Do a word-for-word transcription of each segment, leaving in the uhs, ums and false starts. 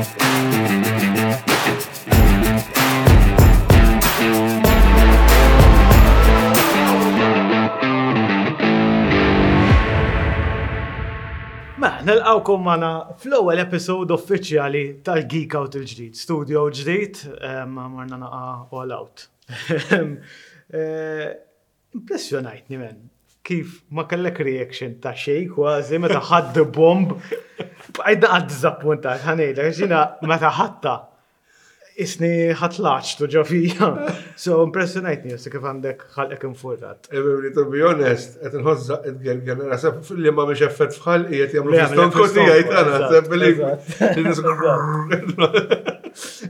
Mela, nilqgħukom magħna fl-ewwel episode uffiċjali tal-Geek Out il-ġdid, studio ġdid, em, marna naqa all out. Eh, Impressjonajtni men, kif ma kellek reaction ta' xej kważi meta ħadd the bomb. Bqajt naqgħad diżappuntat, ħa ngħidlek, jiena meta ħadtha isni ħatlaċ tu ġo fija. So impressjonajtni jessi kif għandek ħalqek infurrat. Ebri, to be honest, qed nħoss id-gerger, naħseb li ma mhix effett fħal qiegħed jagħmlu Le, fi stonku jagħmlu tiegħi fi tagħna, stonku, naħseb li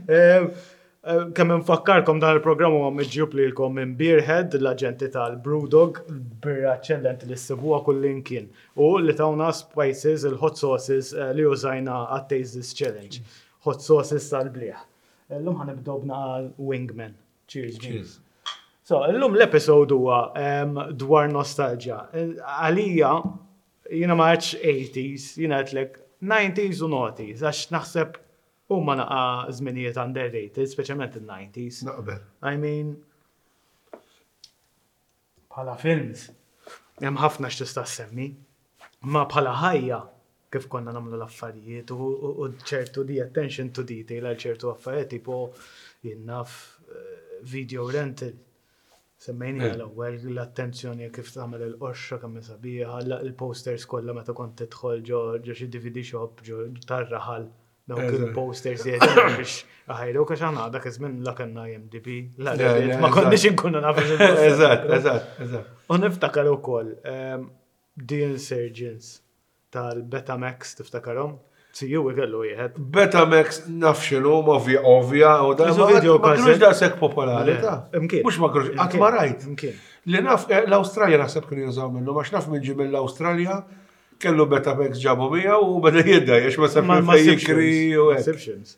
Eh, eh, Kemm infakkarkom dan il-programm huwa miġjub lilkom minn Beerhead, l-aġenti tal-Brewdog, birra eċċellenti li ssibuha kullimkien. U li tawna spices, il-hot sauces eh, li użajna għat-Taste This Challenge. Hot sauces tal-bliħ. Illum ħa nibdew b'naqa Wingman. Cheers. Jim. Cheers. So, illum l-episode huwa em, dwar nostalgia. Għalija, jiena ma għedtx eighties, jiena għedtlek nineties u noughties, għax naħseb huma naqa żminijiet underrated, speċjalment il-nineties. Naqbel. I mean, bħala films, hemm ħafna x'tista' semmi, ma bħala ħajja kif konna nagħmlu l-affarijiet u, u, u ċertu di attention to detail għal ċertu affarijiet, tipo jien naf eh, video rental. Semmejni Eh. għal-ewwel l-attenzjoni kif tagħmel il-qoxra kemm sabiħa, il-posters kollha meta kont tidħol ġo ġo xi D V D shop ġo tar-raħal dawk Eżatt. il-posters li qegħdin biex ħajru għax aħna dak iż-żmien la kellna I M D B, la Le, Reddit, le, ma konniex eżatt. inkunu nafu x'inhu. Eżatt, eżatt, eżatt. U niftakar ukoll ehm, The Insurgents tal-Betamax, tiftakarhom? C U kellu wieħed. Betamax naf x'inhu, ovvja, ovvja, u da Isu ma video ma kinux cassette. daqshekk popolari, Le, ta' imkien. Mhux ma kinux, qatt ma rajt. Imkien. Li naf, eh, l-Awstralja naħseb kienu jużaw minnu, għax naf minn ġie mill-Awstralja, kellu Betamax ġabu miegħu u beda jidda, għax ma sab Ma ma fejn sibx jikri films, u ma hekk. sibx films.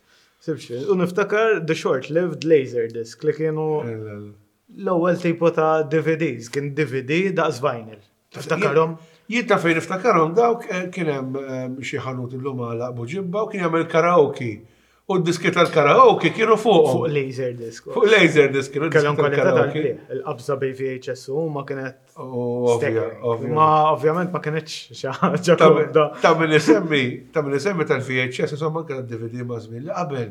Sibx films. U niftakar the short-lived Laserdisc li kienu l-ewwel tipo ta' D V Ds, kien D V D daqs vinyl. Tiftakarhom? Jien ta' fejn niftakarhom dawk, eh, kien hemm eh, xi ħanut illum għalaq Buġibba u kien jagħmel karaoke. U d-diski tal-karaoke kienu fuqhom. Fuq Laserdisc. Fuq Laserdisc kienu Kellhom diski kwalità tal-karaoke. tal-bliħ. Il-qabża bej V H S u ma kienet U ovvja, staggering. ovvja. Ma ovvjament ma kienx xi ħaġa Ta' komda. Ta' min isemmi, ta' min isemmi tal-V H S, insomma anke tal-D V D ma' żmien li qabel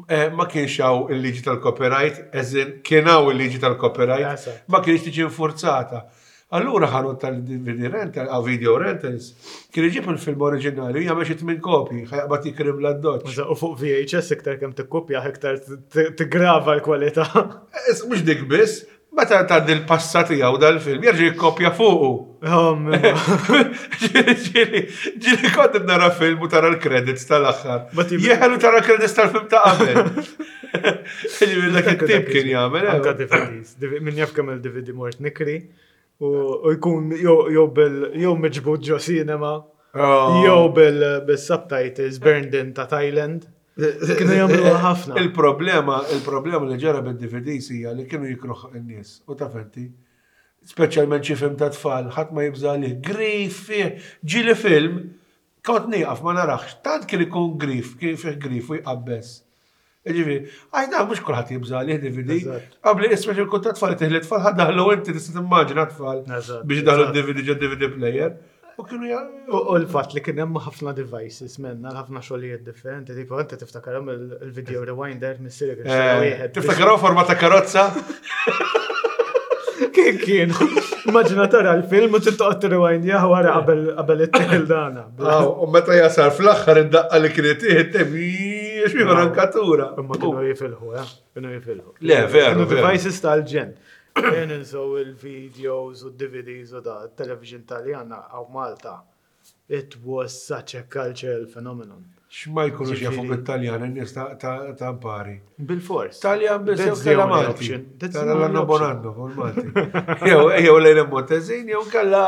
eh, ma kienx hawn il-liġi tal-copyright, eżin kien hawn il-liġi tal-copyright, Eżatt. ma kienx tiġi infurzata. Allura ħanut tal-D V D rental, għaw video rentals, kien iġib il-film oriġinali, jagħmel xi tmien kopji, ħa jaqbad jikrim l-addoċċ. U fuq V H S iktar kemm tikkopja iktar tigrava l-kwalità. Eh, Mhux dik biss, meta tgħaddi l-passa tiegħu dal-film, jerġa' jikkopja fuqu. Oh, mimma. Ġieli, ġieli, ġieli kont nara film u tara l-credits tal-aħħar. Ma ti- Jeħelu tara credits tal-film ta' qabel. Ġieli dak it-tip kien jagħmel. eh. Anka D V Ds. D V Min jaf kemm il-D V D mort nikri u u jkun jew jew bil jew miġbud ġo cinema Oh. jew bil bil-subtitles burned in ta' Thailand. Kienu jagħmluha ħafna. Il-problema, il-problema li ġara bil-D V Ds hija li kienu jikruh in-nies. U ta' fenti, speċjalment xi film ta' tfal, ħadd ma jibża' li grif fih. Ġieli film, kont nieqaf ma narax, tant kien ikun grif, kien fih grif u jqabbes. Ġifieri, għax dan mhux kulħadd jibża' li D V D. Eżatt. Qabli ismex il ta' tfal teħli tfal ħa daħlu inti tista' timmaġina tfal Eżatt, biex daħlu eżatt. D V D ġo D V D player. U kienu ja. U u l-fatt li kien hemm ħafna devices menna, ħafna xogħlijiet differenti, tipo inti tiftakarhom il- il-video rewinder missieri kien xtara Eh, wieħed. Tiftakaraw forma ta' karozza? Kien kien. Immaġina tara l-film u tittoqgħod rewind jah wara qabel qabel it-tel dana. Aw, u meta jasal fl-aħħar id-daqqa li kienet tieħed xi rankatura. Imma kienu jifilħu, eh? Kienu jifilħu. Le, veru, Kienu veru. devices tal-ġenn. Kien ninsew il-videos u D V Ds u da television Taljana għaw Malta. It was such a cultural phenomenon. X'ma jkunux jafu Ġifieri- bit-Taljan in-nies ta' ta' ta' mpari. Bil-fors. Taljan biss jew That's the kella only Malti. option. That's the Tara only l-anno option. bonanno, fuq il-Malti. Jew jew lejn Montezin jew kella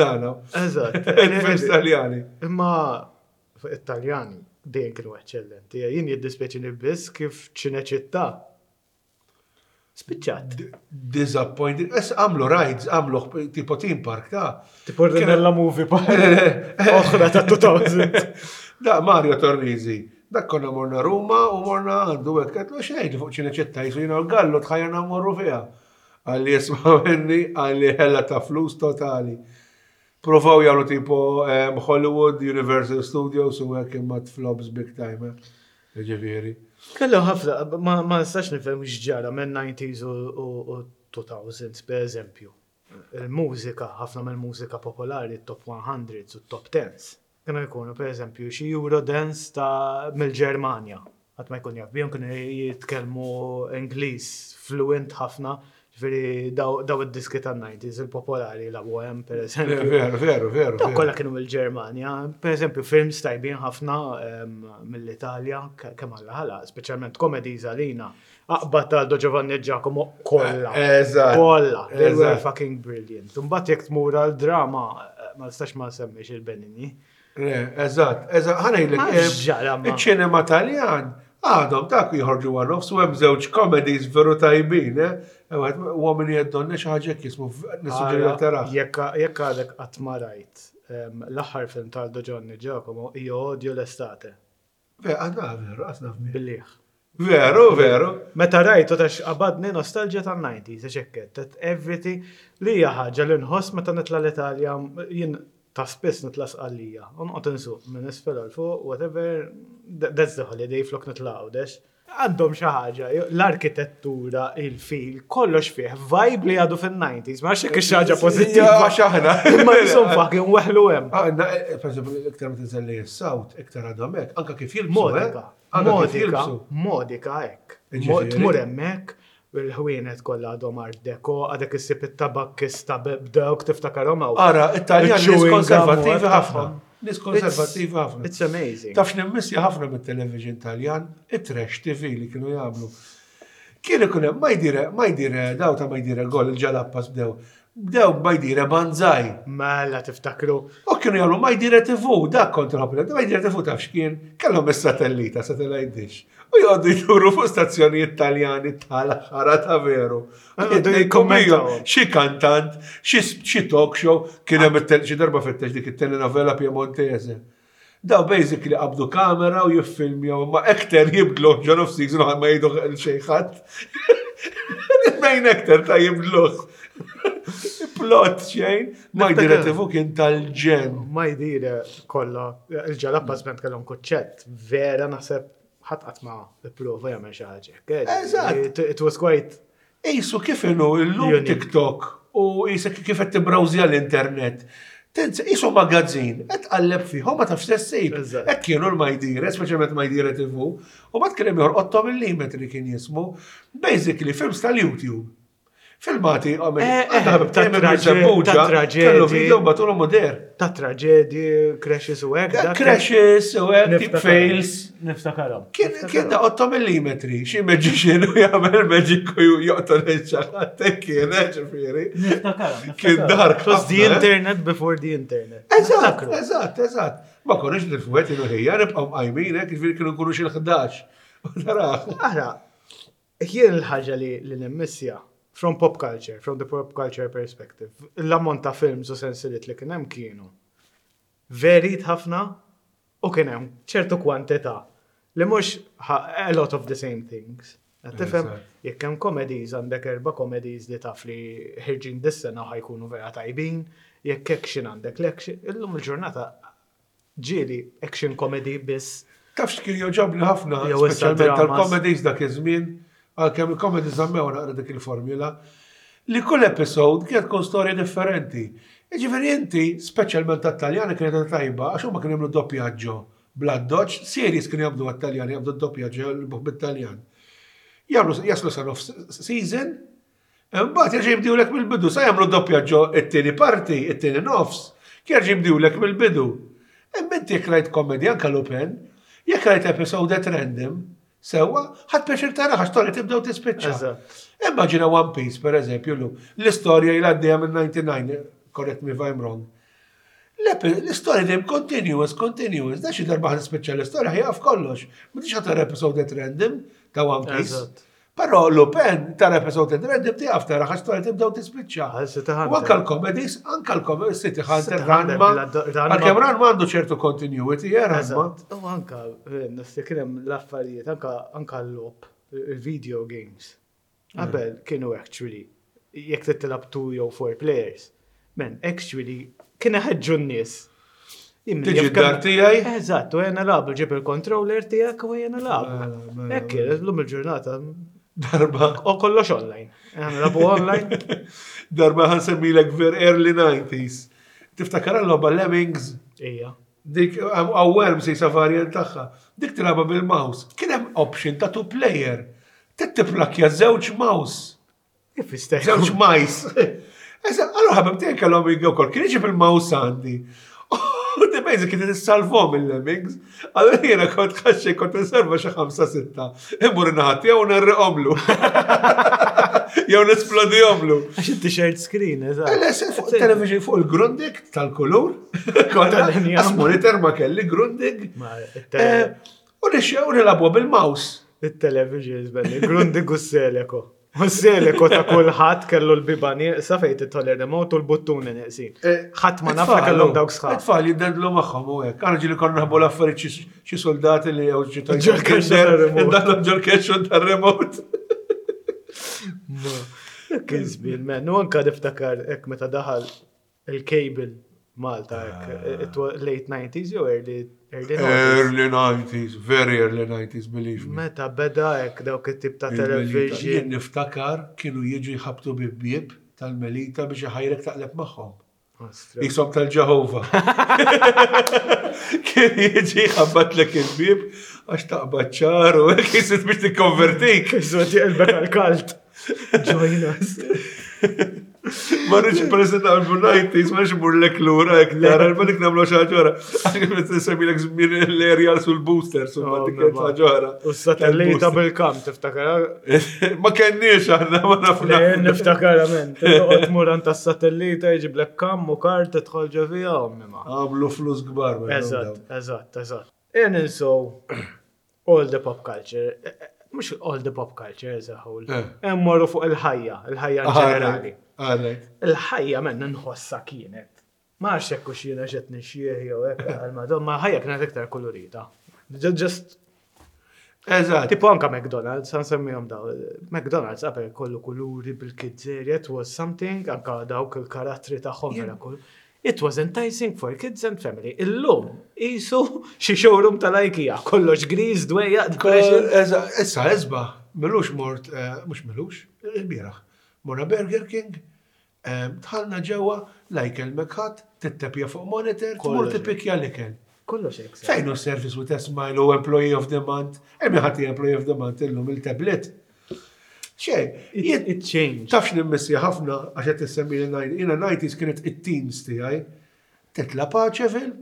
dana. Eżatt. Il-films Taljani. Imma fuq it-Taljani dejjem kienu eċċellenti. Jien jiddispjaċini biss kif Ċineċittà spiċċat. Disappointing. Es għamlu rides, għamlu tipo theme park ta' Tipo Rinella Movie Park. Oħra ta' two thousand. Da Mario Tornisi Dak konna morna Ruma u morna għandu hekk, għedtlu xejn fuq Ċinecittà, jisu jiena l-gallu tħajjarna mmorru fiha. Qalli isma' minni, qalli ħela ta' flus totali. Provaw jagħmlu tipo em, Hollywood, Universal Studios u hekk imma flops big time. eh. Ġifieri. Kellu ħafna, ma ma nistax nifhem x'ġara minn nineties u u- u two thousands, per eżempju. Il-mużika, ħafna mill-mużika popolari, top hundreds u top tens. Kienu jkunu, per eżempju, xi Eurodance ta' mill-Ġermanja. Ħadd ma jkun jaf bihom, kienu jitkellmu Ingliż fluent ħafna, ġifieri daw daw id-diski tan-nineties il-popolari, la Bohem, per eżempju. Veru, veru, veru. Daw veru. kollha kienu mill-Ġermanja. Per eżempju, films tajbin ħafna em, mill-Italja, ke- kemm Alla ħala, speċjalment comedies għalina. Aqbad ta' Aldo, Giovanni e Giacomo kollha. Eżatt. Kollha. They were Eżatt. fucking brilliant. Mbagħad jekk tmur għal drama, eh, ma nistax ma semmix il-Benigni. Le, eżatt, eżatt, ħa ngħidlek. Ma eh, x'ġara ma. Il-ċinema Taljan għadhom dak jħorġu one-offs u hemm żewġ comedies veru tajbin, eh? Wieħed Uomini e donne, xi ħaġa hekk jismu, nissuġġeri tara. Jekk jekk għadek qatt ma rajt em, l-aħħar film ta' Aldo, Giovanni e Giacomo, Io odio l'estate. Ve, għadna veru, għasna fmi. Billiħ. Veru, veru. Meta rajtu tax qabadni nostalġija tan-nineties, għax hekk that everything li hija ħaġa li nħoss meta nitla l-Italja, jien ta' spiss nitla Sqallija. U noqgħod insuq minn isfel għal fuq, whatever, th- that's the holiday flok nitla Għawdex. Għandhom xi ħaġa, l-arkitettura, il-feel, kollox fih, vibe li għadu fin-nineties, ma nafx jekk xi ħaġa pożittiva. Għax aħna. Ma jisum fucking weħlu hemm. Għandna, eh, per eżempju, iktar ma tinżel li s-South, iktar għadhom hekk, anka kif jilbsu. Modika, eh? Anka kif modika, jilbsu. Modika hekk. Ġifieri. Tmur hemmhekk, il-ħwienet kollha għadhom art deco, għadek issib it-tabakkista b'dawk tiftakarhom hawn. Ara, Italjan nies Il-chewing gum u konservattivi hekk ħafna. tagħhom. Nies konservattivi ħafna. It's amazing. Taf nimmissja ħafna mit-television Taljan, it-trash T V li kienu jagħmlu. Kien ikun hemm Mai Dire, Mai Dire, daw ta' Mai Dire Gol, il-Gialappa's bdew. Bdew Mai Dire Banzai. Mela tiftakru. U kienu jagħmlu Mai Dire T V, dak kont inħobb. Mai Dire T V taf x'kien, kellhom is-satellita, satellite dish. U joqogħdu jduru fuq stazzjonijiet Taljani tal-ħara ta' veru. Joqogħdu Jikkommentaw. jikkommentaw. Xi kantant, xi xi talk show, kien hemm it- xi darba fittex dik it-telenovela Piemontese. Daw basically qabdu kamera u jiffilmjaw, ma actor jibdluh ġo nofs season u ma jgħidu xejn ħadd. Il-main actor ta' jibdluh. Plot xejn, Mai Dire T V kien tal-ġenn. Mai Dire kollha, il-Gialappa's Band kellhom kuċċett, vera naħseb ħadd qatt ma ipprova jagħmel xi ħaġa hekk. Eżatt. It it was quite Isu kif inhu illum Unique. TikTok u jisek kif qed tibbrawżja l-internet. Tinsa, isu magazzin, qed tqalleb fih, ma tafx ssib. Eżatt. Hekk kienu l-Mai Dire, speċjalment Mai Dire T V, u mbagħad kien hemm ieħor Otto Millimetri kien jismu, basically films tal-YouTube. Filmati, Eh, eh, ta' traġe- ta' traġedji. Kellu video batulu moder. Ta' traġedji, crashes u hekk. dak- Crashes u hekk, tip Niftakar. fails. Niftakarhom. Kien kien da otto millimetri, xi magician u jagħmel magic u joqtol il-ċaħat, kien, eh, ġifieri. Niftakarhom. Kien dark It was the ħafna, eh? internet before the internet. Eżatt, Niftakru. eżatt, eżatt. Ma konniex nil-fuħet jienu ħija, nibqgħu mqajmin, hekk, ġifieri kienu nkunu xi l-ħdax. U taraħ. Ara, jien il-ħaġa li li nimmissja from pop culture, from the pop culture perspective, l-ammont ta' films u sensiliet li kien hemm kienu varied ħafna u kien hemm ċertu kwantità li mhux ha- a lot of the same things. Qed tifhem, Eżatt. jekk hemm comedies, għandek erba' comedies li taf li ħirġin dis-sena ħa jkunu vera tajbin, jekk action għandek l-action, illum il-ġurnata ġieli action comedy biss. Taf x'kien joġobni ħafna, Jew issa speċjalment dramas. tal-comedies dak iż-żmien, għalkemm il-comedies żammew naqra dik il-formula, li kull episode kienet tkun storja differenti. Jiġifieri inti, speċjalment tat-Taljani kienet tajba, għax huma kienu jagħmlu doppjaġġo bla doċ, series kienu jagħmlu għat-Taljani, jagħmlu doppjaġġo bit-Taljan. Jagħmlu jaslu sa nofs season, imbagħad jerġa' jibdewlek mill-bidu, sa jagħmlu doppjaġġo it-tieni parti, it-tieni nofs, jerġa' jibdewlek mill-bidu. Imma inti jekk rajt comedy anka Lupin, jekk rajt episode at random, sewwa, ħadt pjaċir tara għax storja tibda u tispiċċa. Eżatt. Immaġina One Piece, per eżempju, lu, l-istorja ilha għaddejja minn disgħa u disgħin, correct me if I'm wrong. L-epi- L-istorja dejjem continuous, continuous, da xi darba ħa tispiċċa l-istorja ħa jieqaf kollox. M'intix ħa tara episode at random ta' One Piece. Eżatt. Però Lupin tara episode random tieqaf tara għax storja tibda u tispiċċa. Għal City U Hunter. anka l-comedies, anka l-comedies, City Hunter, City Hunter, Ranma. bla- Ranma. Għalkemm Ranma għandu ċertu continuity, eh, Ranma. Eżatt. U anka, niftakar kien hemm l-affarijiet, anka anka l-logħob, il-video games. Qabel kienu actually, jekk titilab two jew four players. Man, actually, kien ħeġġu n-nies. Jien Tiġi jaf kemm- d-dar tiegħi? Eżatt, u jena nilagħbu, ġib il-controller tiegħek u jena Mela, nilagħbu. mela, Hekk, l-lum il-ġurnata, Darba, u kollox online. Jena nilagħbu online. darba ħa nsemmilek ver early nineties. Tiftakar l-logħba Lemmings? Ija. Dik, għaw Worms jisa variant tagħha. Dik tilgħabha bil-mouse. Kien hemm option ta' two player. Tittiplakja żewġ mouse. Kif jista' Żewġ mice. Esa, allora ħabib tiegħi kellhom jiġu wkoll. Kien iġib il-mouse għandi. U di basic kien tissalvhom il-Lemmings. Allora jiena kont ħaxxi kont nserva xi ħamsa sitta. Immur in-naħa tiegħu u nerriqhomlu. Jew nesplodihomlu. Għax inti shared screen, eżatt. Le, se fuq television fuq il-Grundig tal-kulur. Tal-injam. Għas monitor ma kelli Grundig. Ma, Eh, U nixxew nilagħbu bil-mouse. Il-television, belli, Grundig u Seleco. U Seleco ta' kulħadd kellu l-biba nieqsa fejn tidħol il-remote u l-buttuni neqsin. Ħadd ma nafra kellhom dawk sħab. It-tfal jiddendlu magħhom u hekk. Aħna ġieli konna naħbu l-affarijiet xi- xi soldati li jew xi Ġol-kexxu tar-remote. Indaħlu ġol-kexxu tar-remote. Kien żmien, man. U anka niftakar hekk meta daħal il-cable Malta hekk, it was late nineties jew early early nineties. Early nineties, very early nineties, believe me. Meta beda hekk dawk it-tip ta' Il-Melita. television. Jien niftakar kienu jiġu jħabtu bib-bieb tal-Melita biex iħajrek taqleb magħhom. Ostra. Jisom tal-Ġehova. Kien jiġi ħabbatlek il-bib għax taqbad ċar u hekk jisit biex tikkonvertik. Iżu tiqlbek għal-kalt. Join us. Ma rridx president għal nineties, ma rridx mur lek lura hekk tara, ma dik nagħmlu xi ħaġa oħra. Għax kif qed żmien l-aerial sul booster, sul ma dik kienet ħaġa oħra. U s-satellita bil-kam, tiftakar? Ma kenniex aħna ma nafu. Le, niftakar, men. Toqgħod tmur għand tas-satellita, jġiblek kam u kart tidħol ġo fiha, ommi ma. Għamlu flus kbar. ma Eżatt, eżatt, eżatt. And so, all the pop culture, eh, eh, mhux all the pop culture as a whole, Eh. Hemm morru fuq il-ħajja, il-ħajja in ġenerali. Għalek. Il-ħajja men nħossa kienet. Ma nafx hekk hux jiena ġed nixjieħ jew hekk għal ma ħajja kienet iktar kolorita. Ju- Just Eżatt. Tipo anka McDonald's, għan semmihom daw. McDonald's qabel kollu kuluri bil-kids area, it was something, anka dawk il-karattri tagħhom vera kull. It was enticing for kids and family. Illum, isu xi showroom tal-IKEA, kollox gris, dwejja, depression. Eżatt, issa esba, milux mort, eh, mhux milux, il-bieraħ. Morna Burger King, eh, dħalna ġewwa, la jkellmek ħadd, tittepja fuq monitor, tmur Kollox. tippikja l-ikel. Kollox hekk. Fejn hu service with a smile u employee of the month? Hemm ħadd employee of the month illum il-tablet. Xej, It, jien it changed. tafx nimmissja ħafna għax qed tissemmi li jiena nineties kienet it-teens tiegħi. Titla' Paceville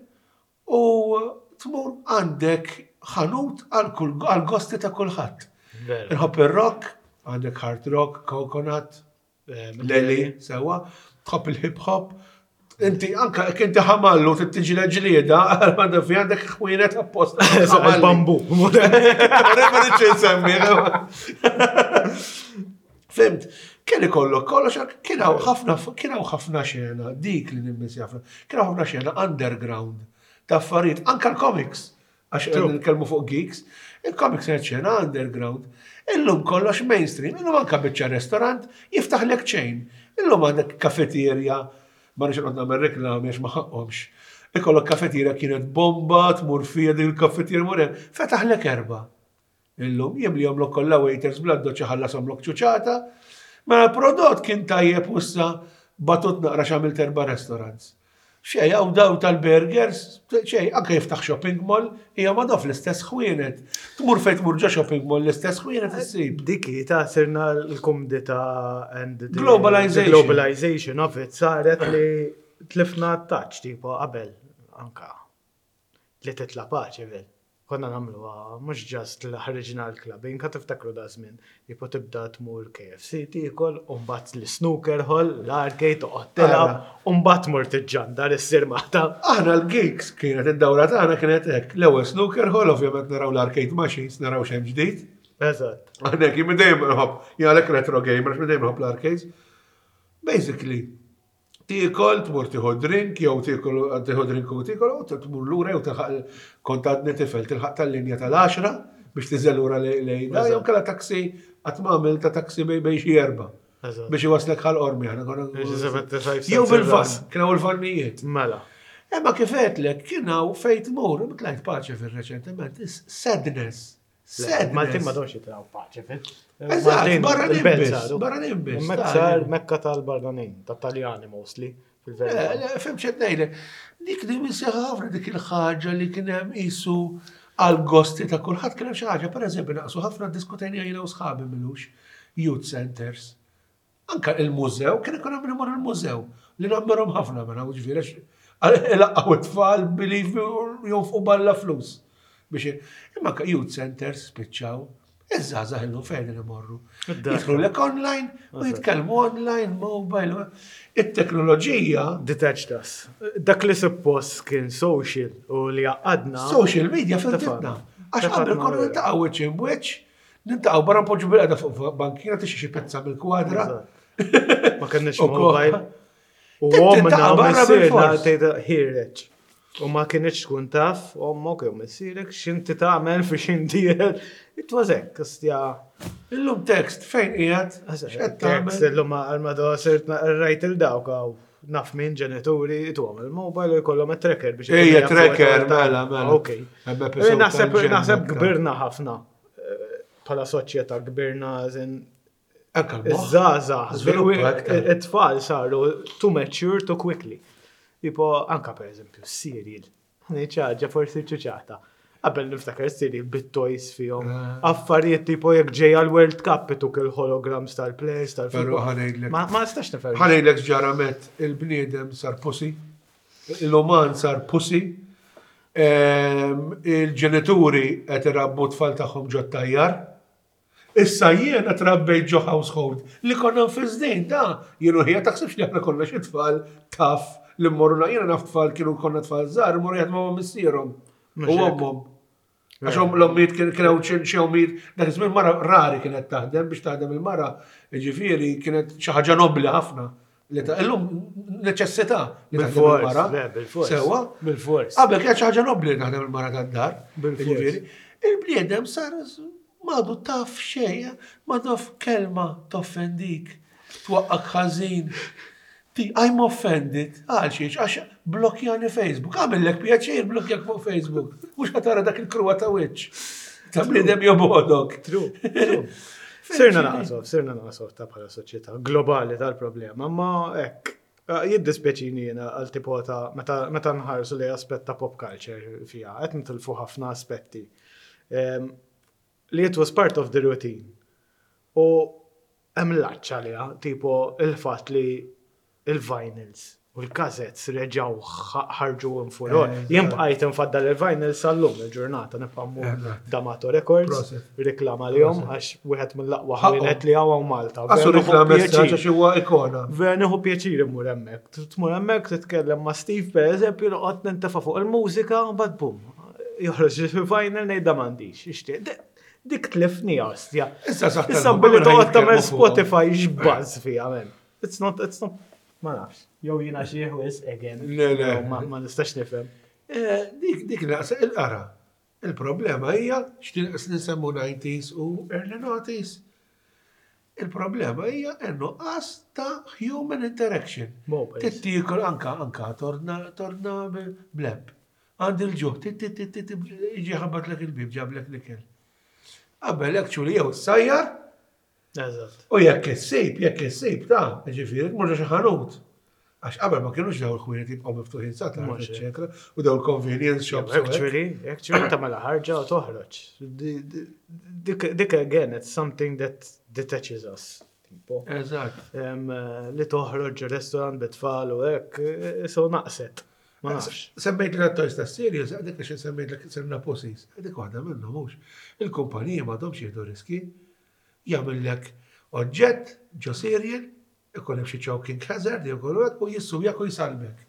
u tmur għandek ħanut għal kull għal gosti ta' kulħadd. Vera. Inħobb ir-rock, għandek hard rock, Coconut, Eh, Leli, sewa, tħobb il-hip hop. Inti anka jekk inti ħamallu tittiġi l-ġlieda, għandek fi għandek ħwienet apposta. Eżatt, il-bambu. Ma rridx insemmi. Fhimt, kien ikollok kollox, kien hawn ħafna kien hawn ħafna xena, dik li nimmissja ħafna, kien hawn ħafna xena underground ta' affarijiet, anka l-comics, għax True. nitkellmu fuq geeks, il-comics kienet xena underground. Illum kollox mainstream, illum anka biċċa restaurant jiftaħlek chain. Illum għandek kafeterja, ma nix noqgħod nagħmel reklami għax ma ħaqhomx. Ikollok kafeterja kienet bomba, tmur fija din il-kafeterja mur hemm, fetaħlek erba'. Illum jimlihomlok kollha waiters bla doċċa ħallashomlok ċuċata. Mela l-prodott kien tajjeb u issa batut naqra x'għamilt erba' restaurants. Xej, hawn daw tal-burgers, xej, anke jiftaħ shopping mall, hija ma dof l-istess ħwienet. Tmur fejn tmur ġo shopping mall l-istess ħwienet issib. Diki ta' sirna l-kumdita and the Globalization. the globalization of it saret li tlifna touch tipo qabel anka li titla' Paceville. Konna nagħmluha mhux just li ħriġna l-club, inka tiftakru da żmien. Tipo tibda tmur K F C tiekol, u mbagħad l-snooker hall, l-arcade, toqgħod tilgħab, u mbagħad tmur tiġġandar issir maħta. Aħna l-geeks kienet id-dawra tagħna kienet hekk. L-ewwel snooker hall, ovvjament naraw l-arcade machines, naraw xejn ġdid. Eżatt. Għandek, jien minn dejjem nħobb, jien għalek retro gamer, għax minn dejjem nħobb l-arcades. Basically, tiekol, tmur tieħu drink, jew tiekol tieħu drink u tiekol, u tmur lura jew tilħaq kont għadni tifel, tilħaq tal-linja tal-għaxra biex tiżel lura lejn da, jew kella taxi, qatt ma għamil ta' taxi bej bej xi erba. Eżatt. Biex iwaslek Ħal Qormi, aħna konna. Biex seventy-five Jew cents bil-van, ir-ras. kien hawn il-vannijiet. Mela. Imma kif għedtlek, kien hawn fejn tmur, tlajt Paceville reċentement, is sadness. Sadness. Maltin ma domx jitilgħu Paceville. Eżatt, barranin biss, barranin biss, Hemmhekk ta' sar mekka tal-barranin, tat-Taljani mostly, fil-verità. Le, le, Fhimt x'qed ngħidlek. Dik li misseħ ħafna dik il-ħaġa li kien hemm qisu għal-gosti ta' kulħadd kien hemm xi ħaġa, pereżempju naqsu ħafna diskutejna jiena u sħabi m'ilux youth centers. Anka il-mużew, kien ikun hemm imur il-mużew li nammirhom ħafna mela, u ġifieri għax it-tfal believe me jonfqu balla flus. Biex imma anka youth centers spiċċaw. Iż-żgħażagħ illum fejn imorru. Id-dar. Jidħlu lek online u jitkellmu online, mobile. It-teknoloġija Detached us. Dak li suppost kien social u li għadna. Social media firditna. Għax qabel konna niltaqgħu wiċċ imwiċċ, niltaqgħu barra npoġġu bil-qeda fuq bankina tixi xi pezza mill-kwadra. Ma kenniex U ko- mobile. U Tintaqa' omna u barra missierna bil-fors. tgħidha ħireġ. U ma kienx tkun taf, ommok jew missierek x'inti tagħmel fi x'inti. It was hekk, ostja. Illum text fejn qiegħed? X'qed Text tagħmel? illum għal-mado sirt rajt il-dawk għaw naf minn ġenituri tuhom il-mobile u jkollhom it-tracker biex Ejja, ikunu jafu tracker, għal- mela, mela. Ok. Hemm episode Naħseb tal-ġen naħseb hekk, ta' kbirna ħafna eh, bħala soċjetà kbirna zin Anka l-moħħ. Iż-żgħażagħ, Żviluppa aktar. it-tfal saru too mature too quickly. Tipo, anka per eżempju, cereal. Ħaġa forsi ċuċata. Qabel niftakar cereal bit-toys fihom. Ah. Affarijiet tipo jekk ġejja l-World Cup ituk il-holograms tal-players Però tal-football. ħa ngħidlek. Ma ma nistax nifhem. Ħa ngħidlek ġaramet il-bniedem sar pussy, l-uman sar pussy, ehm, il-ġenituri qed irabbu tfal tagħhom ġo tajjar. Issa jiena trabbejt ġo household li konna nfizdin da. Jienu ħija taħsibx li aħna konna xi tfal taf li mmorru jiena naf tfal kienu konna tfal żgħar mmorru jaħdmu ma' missierhom Mhux u hekk. ommhom. Għax om l-ommijiet kien kienu xi ommijiet, dak iż-żmien mara rari kienet taħdem biex taħdem il-mara, ġifieri kienet xi ħaġa nobli ħafna. Li ta' illum neċessità li taħdem Bil-fors, il-mara. le, bil-fors. Sewwa. Bil-fors. Qabel kienet xi ħaġa nobli li taħdem il-mara tad-dar. Bil-fors. Ġifieri, il-bniedem sar m'għadu taf xejn, ma taf kelma toffendik, twaqqak ħażin. Ti, I'm offended, għal xiex, għax blokjani Facebook, għamillek pjaċir blokjak fuq Facebook, mhux ħa tara dak il-kruwa ta' wiċċ. Ta' bniedem jobodok. True, true. Sirna naqsof, sirna naqsof ta' bħala soċjetà globali tal-problema, ma hekk. Eh, Jiddispjaċini jiena għal tipo ta' meta meta nħarsu li aspett ta' pop culture fija, qed nitilfu ħafna aspetti. Em, Li it was part of the routine. U hemm laċċ għaliha, tipo il-fatt li il-vinyls u l-cassettes reġaw ħarġu infuror. Eżatt. Jien bqajt nfaddal il-vinyls sal-lum il-ġurnata nibqa' mmur Eżatt. D'Amato Records, Proset. reklama li jom, għax wieħed mill-aqwa Ħaqhom. ħwienet li hawn Malta. Għasu Vera nieħu reklam pjaċir. għax huwa ikona. Vera nieħu pjaċir immur hemmhekk. Tmur hemmhekk titkellem ma' Steve per eżempju, noqgħod nintefa' fuq il-mużika, u mbagħad bum. Joħroġ il-vinyl ngħidha m'għandix. Ixtieq. Dik- Dik tlifni ostja. Issa saħ Issa billi toqgħod tagħmel Spotify x'baż fiha men. It's not, it's not, ma nafx. Jew jiena xi wisq again. Le, le. Jew Ma ma nistax nifhem. Eh, Dik dik naqsa il-qara. Il-problema hija x'tinqas nsemmu nineties u early noughties. Il-problema hija n-nuqqas ta' human interaction. Mobiles. Tittikol anka anka torna torna bleb. Għandi l-ġuħ, tit iġi ħabbatlek il-bib, ġablek l-ikel. Qabel actually jew sajjar Eżatt. u jekk issib, jekk issib ta' ġifieri tmur xi ħanut. Għax qabel ma kienux daw il-ħwienet jibqgħu miftuħin sa tard, Mhux hekk. eċetera, u daw il-convenience shops. U hekk. Actually, actually tagħmel ħarġa u toħroġ. Di- di- Dik dik again, it's something that detaches us. Tipo. Eżatt. Em, eh, li toħroġ restaurant bit-tfal u hekk, eh, so naqset. Ma nafx. Semmejt li toys ta' cereals, għadek għax semmejt li sirna pussies. Għadek waħda minnhom mhux. Il-kumpaniji m'għadhomx jieħdu riski. Jagħmellek oġġett ġo cereal, ikun hemm xi choking hazard jew kollu hekk u jissujak u jsalbek.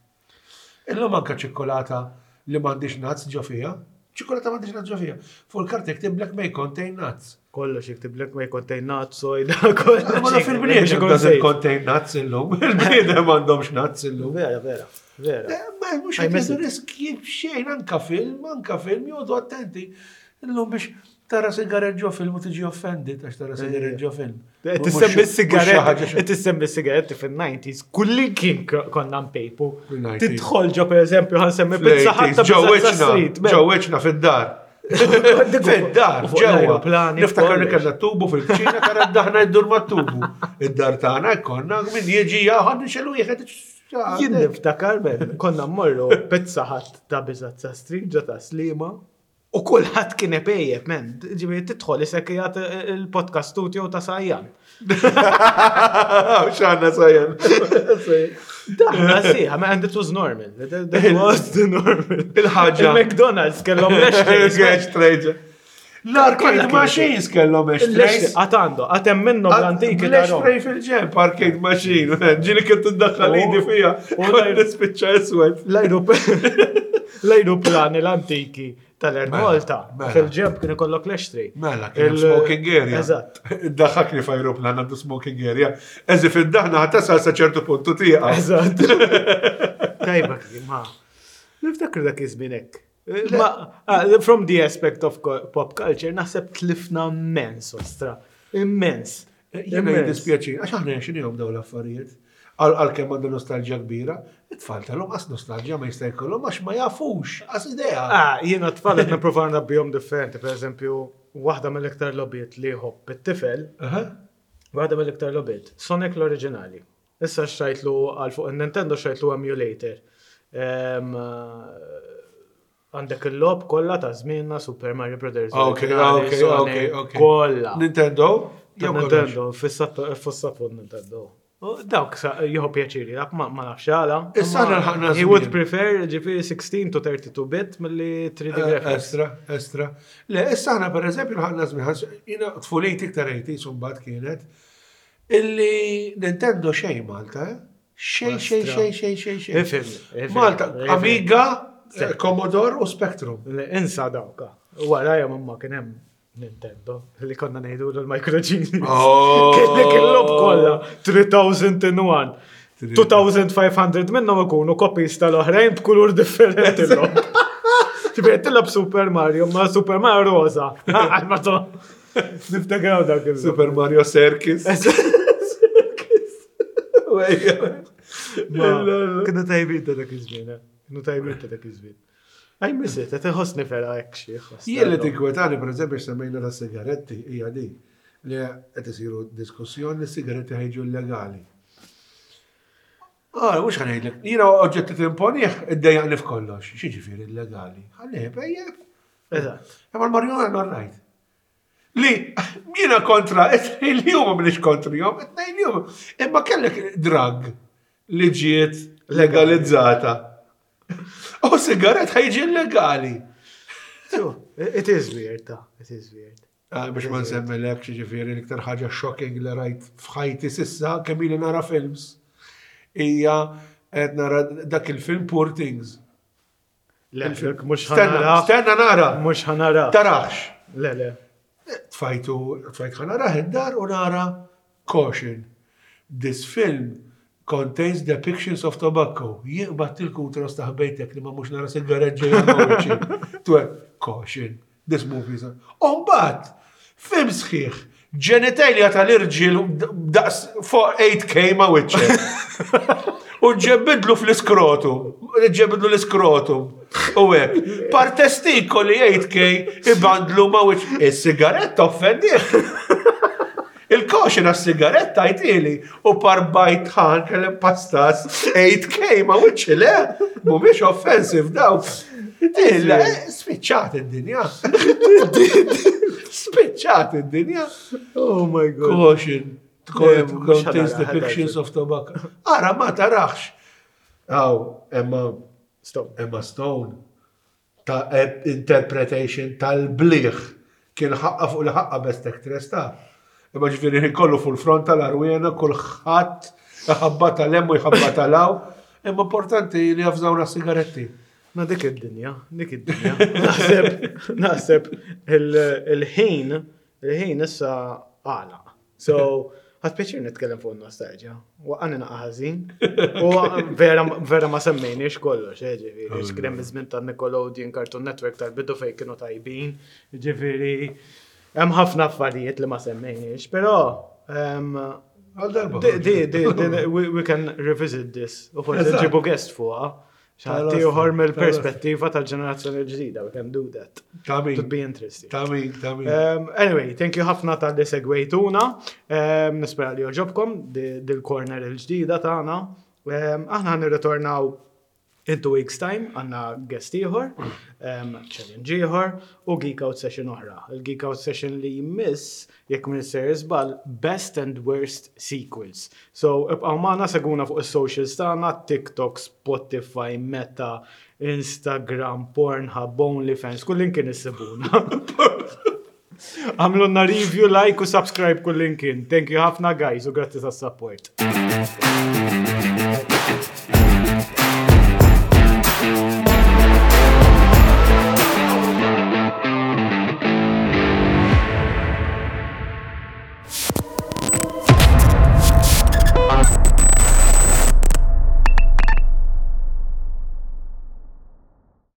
Illum anke ċikkolata li m'għandix nuts ġo fiha, Ċikolata m'għandix nuts ġo fiha. Fuq il-karta jktiblek "may contain nuts". Kollox jiktiblek "may contain nuts", soy, kollox. Ma naf il-bniedem doesn't contain nuts illum. Il-bniedem m'għandhomx nuts illum. Vera, vera, vera. Eh, ma mhux I qed miss jieħdu riski xejn, anka film, anka film, joqogħdu attenti. Illum biex tara sigaret ġo film u tiġi offended għax tara sigaret ġo film. Tissemmi sigaret. sigaret, tissemmi sigaretti fil-nineties, kulli kien konna npejpu. Fil-nineties. Tidħol ġo, per eżempju, ħa nsemmi Pizza Hut ta' Ġo Pizza wiċċna, Street. ġo wiċċna fid-dar. Fid-dar, U fuq ġewwa. l-aeroplani, Niftakar li kollox. kellna tubu fil-kċina, tara d-daħna jiddur ma' tubu. Id-dar tagħna konna min jiġi jaħad nixelu wieħed. Jien niftakar, ben, konna mmorru Pizza Hut ta' Bizazza Street ġo ta' Slima u kulħadd kien ipejjep, men. Ġifieri tidħol isek qiegħed il-podcast studio ta' Sajjan. X'għandna Sajjan. Daħna siħa, ma and it was normal. That that was the normal. Il-ħaġa. Il-McDonald's kellhom l-ashtrays. Ashtrays. L-arcade machines kellhom ashtrays. Għad għandu, għad hemm minnhom l-antiki tarom. L-ashtray fil-ġenb, arcade machine. Ġieli kien tiddaħħal U- idi fija. u Kont l- nispiċċa iswed. L-aeroplani l-antiki tal-Air Mela, Malta. mela. Fil-ġenb kien ikollok l-ashtray. Mela, kien hemm Il- smoking area. Eżatt. Daħakni f'aeroplan għandu smoking area. Eżi fid-daħna ħa tasal sa ċertu puntu tieqa. Eżatt. Tajba kien, ma. Niftakru dak iż-żmien hekk. Ma, ah, from the aspect of co- pop culture, naħseb tlifna immens, ostra. Immens. Jiena Immens. jiddispjaċi, għax aħna xinihom dawn l-affarijiet. Għalkemm għandu nostalġija kbira, it-tfal tal-lum qas nostalġija ma jista' jkollhom għax ma jafux, qas idea. Ah, jiena tfal qed nipprova nrabbihom differenti, per eżempju, waħda mill-iktar logħbiet li jħobb it-tifel, Aha. waħda mill-iktar logħbiet, Sonic l-oriġinali. Issa xtrajtlu għal fuq il-Nintendo, xtrajtlu emulator. Em, Għandek il-logħob kollha ta' żmienna, Super Mario Brothers Ok, oriġinali, ok, Sonic, ok, ok. Kollha. Nintendo? Ta' Jew kollox? Nintendo, fissat fuq Nintendo. U dawk sa- jieħu pjaċiri, dak ma ma nafx għala. Issa Imma aħna lħaqna He would żmien. prefer ġifieri sixteen to thirty-two bit milli three D Eh, graphics. Estra, estra. Le, issa aħna per eżempju lħaqna żmien, jiena tfuliti iktar eighties mbagħad kienet, illi Nintendo xejn Malta, eh? Xejn, xejn, Estra. xejn, xejn, xejn, xejn. Ifhem, ifhem, Malta, ifhem. Amiga, eh, Commodore u Spectrum. Le, insa dawka. Wara jom imma kien hemm Nintendo li konna ngħidu l-Micro Genius. Oh. Kellek il-logħob kollha three thousand one. two thousand five hundred minnhom ikunu copies tal-oħrajn b'kulur differenti l-logħob. Ġifieri tilgħab Super Mario, ma Super Mario rosa. Ma to. Niftakar dak il Super Mario Circus. Ma, kienu tajbin ta' dak iż-żmien, eh. Kienu tajbin ta' dak iż-żmien. I miss it, qed inħossni vera hekk xi. Jien li tinkwetani, per eżempju, semmejna ta' sigaretti, hija di li qed isiru diskussjoni li sigaretti ħa jiġu illegali. Ah, mhux ħa ngħidlek, jiena oġġetti timponih, iddejjaqni f'kollox. X'jiġifieri illegali? Ħalli pejjep. Eżatt. Imma l-marijuana all right. Li jiena kontra, it-tnejn li huma m'iniex kontrihom, it-tnejn li huma. Imma kellek drug li ġiet legalizzata. U sigaret ħa jiġi illegali. So, it is weird, ta' it is weird. Ah, biex ma nsemmilek, ġifieri l-iktar ħaġa shocking li rajt f'ħajti s'issa, kemm ili nara films, hija qed nara dak il-film Poor Things. Le, dak mhux Stenna, ħa nara. stenna nara. Mhux ħa nara. Tarax. Le, le. Tfajtu, tfajt ħa narah id-dar u nara "Caution. This film contains depictions of tobacco." Jiqbad il-kutra staħbejtek li ma mhux nara sigaret ġejja ma' wiċċi. Twe, "Caution. This movie is." Umbagħad, film sħiħ, genitalia tal-irġiel daqs fuq eight K ma' wiċċek. U ġebbidlu fl-iskrotum. Ġebbidlu l-iskrotum. U hekk. Par testikoli eight K ibandlu ma' wiċċ. Is-sigaretta offendieh. Il-caution għas-sigaretta jtili u par bajt ħan kellem pastas eight K ma' wiċċi, le? Mhumiex offensive dawk. Illa, eh, spiċċat id-dinja. Spiċċat id-dinja. Oh my God. "Caution. Le, mhux Contains ħa nara, depictions of tobacco." Ara, ma tarax. Aw, Emma, Stop. Emma Stone, ta' interpretation tal-bliħ kien ħaqqa fuq li ħaqqa best actress ta'. Imma ġifieri kollu fuq il-front tal-arwena, kulħadd ħabba tal-hemm u jħabba tal-hawn. Imma importanti li jafżawna sigaretti. Ma dik id-dinja, dik id-dinja. Naħseb, naħseb il-ħin, il-ħin issa għala. So, ħadt pjaċir nitkellem fuq nostalġja. Waqqani naqa ħażin. U vera, vera ma semmejniex kollox, eh, ġifieri, x'kien hemm iż-żmien ta' Nickelodeon, Cartoon Network tal-bidu fejn kienu tajbin. Ġifieri, hemm ħafna affarijiet li ma semmejniex, però em, Għal darba. di, di, di, di, we, we can revisit this. U forsi Eżatt. nġibu guest fuqha. Xi ħadd ieħor mill-perspettiva tal-ġenerazzjoni l-ġdida, we can do that. Ta' min, Would be interesting. ta' min, ta' min. Um, anyway, thank you ħafna talli segwejtuna. Um, nispera li għoġobkom dil-corner il-ġdida tagħna. Um, aħna nirritornaw in two weeks time, għandna guest ieħor, um, challenge ieħor u Geek Out session oħra. Il-Geek Out session li jmiss, jekk minn ser żball, best and worst sequels. So, ibqgħu magħna segwuna fuq is-socials tagħna, TikTok, Spotify, Meta, Instagram, Pornhub, OnlyFans, kullimkien issibuna. Għamlulna review, like u subscribe kullimkien. Thank you ħafna guys u grazzi tas-support.